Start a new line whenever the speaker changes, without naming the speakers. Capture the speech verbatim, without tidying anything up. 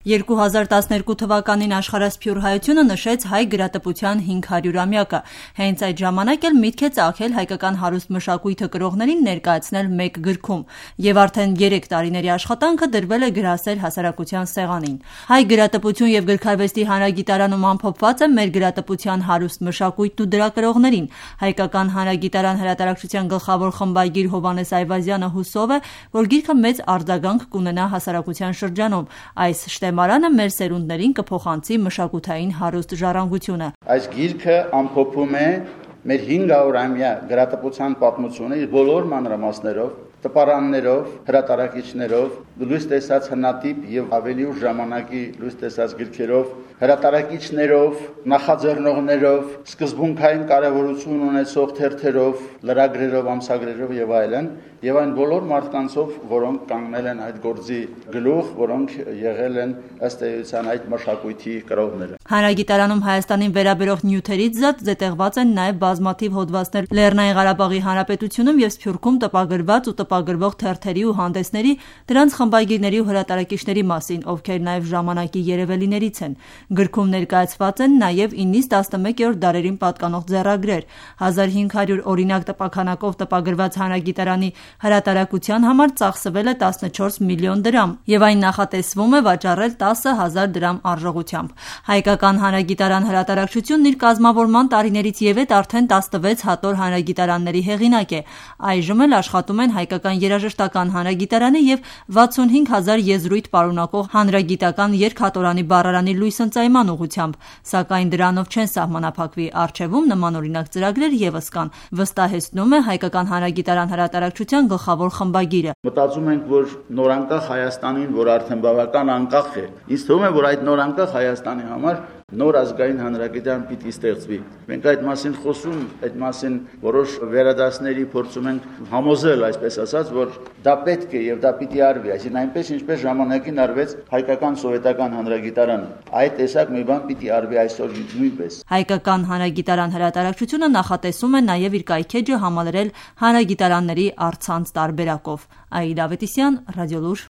երկու հազար տասներկու թվականին Աշխարհասփյուռ հայությունը նշեց հայ գրատպության հինգ հարյուրամյակը։ Հենց այդ ժամանակ էլ միտք է ծագել հայկական հարուստ մշակույթը կրողներին ներկայացնել մեկ գրքում, եւ արդեն երեք տարիների աշխատանքը դրվել է գրասեր հասարակության սեղանին։ Հայ գրատպություն եւ գրքարվեստի հանրագիտարանում ամփոփված է մեր գրատպության հարուստ մշակույթն ու դրա կրողներին։ Հայկական հանրագիտարան հրատարակչության գլխավոր խմբագիր Հովհաննես Այվազյանը հուսով է, որ գիրքը մեծ արձագանք կունենա հասարակության շրջանում։ Այս շտեմարանը մեր սերունդներին կփոխանցի մշակութային հարուստ ժառանգությունը։
Այս գիրքը ամփոփում է մեր հինգ հարյուրամյա գրատպության պատմությունը իր բոլոր մանրամասներով, տպարաններով, հրատարակիչներով, լույս տեսած հնատիպ եւ ավելի ուշ ժամանակի լույս տեսած գրքերով, հրատարակիչներով, նախաձեռնողներով, սկզբունքային կարևորություն ունեցող թերթերով, լրագրերով, ամսագրերով եւ այլն, եւ այն բոլոր մարդկանցով, որոնք կանգնել են այդ գործի գլուխ, որոնք եղել են ըստ էության այդ մշակույթի կրողները։
Հանրագիտարանում Հայաստանին վերաբերող նյութերից զատ զետեղված են նաեւ բազմաթիվ հոդվածներ Լեռնային Ղարաբաղի Հանրապետությունում եւ Սփյուռքում տպագրված ու տպագրվող թերթերի ու հանդեսների, դրանց խմբագիրների ու հրատարակիչների մասին, ովքեր նաեւ ժամանակի երևելիներից են։ Գրքում ներկայացված են նաեւ իննից տասնմեկերորդ դարերին պատկանող ձեռագրեր։ հազար հինգ հարյուր օրինակ տպաքանակով տպագրված Հանրագիտարանի հրատարակության համար ծախսվել է տասնչորս միլիոն դրամ եւ այն նախատեսվում է վաճառել տասը հազար դրամ արժողությամբ։ Հայկական հանրագիտարան հրատարակչությունն իր կազմավորման տարիներից եւեթ արդեն տասնվեց հատոր հանրագիտարանների հեղինակ է։ Այժմ էլ աշխատում են Հայկական երաժշտական հանրագիտարանի եւ վաթսունհինգ հազար եզրույթ պարունակող հանրագիտական երկհատորանի բառարանի լույսընծայման ուղղությամբ, սակայն դրանով չեն սահմանափակվի, առջևում նմանօրինակ ծրագրեր եւս կան, վստահեցնում է Հայկական հանրագիտարան հրատարակչության գլխավոր խմբագիրը։
Մտածում ենք, որ նորանկախ Հայաստանին, որ արդեն բավական անկախ է, ինձ թվում է, որ այդ նորանկախ Հայաստանի համար նոր ազգային հանրագիտարան պիտի ստեղծվի։ Մենք այդ մասին խոսում, այդ մասին որոշ վերադասների փորձում ենք համոզել, այսպես ասած, որ դա պետք է եւ դա պիտի արվի, այսինքն այնպես ինչպես ժամանակին արվեց հայկական սովետական հանրագիտարանը։ Այդ տեսակ մի բան պիտի արվի այսօր նույնպես։
Հայկական հանրագիտարան հրատարակչությունը նախատեսում է նաեւ իր կայքեջը համալրել հանրագիտարանների առցանց տարբերակով։ Աիդա Ավետիսյան, Ռադիոլուր։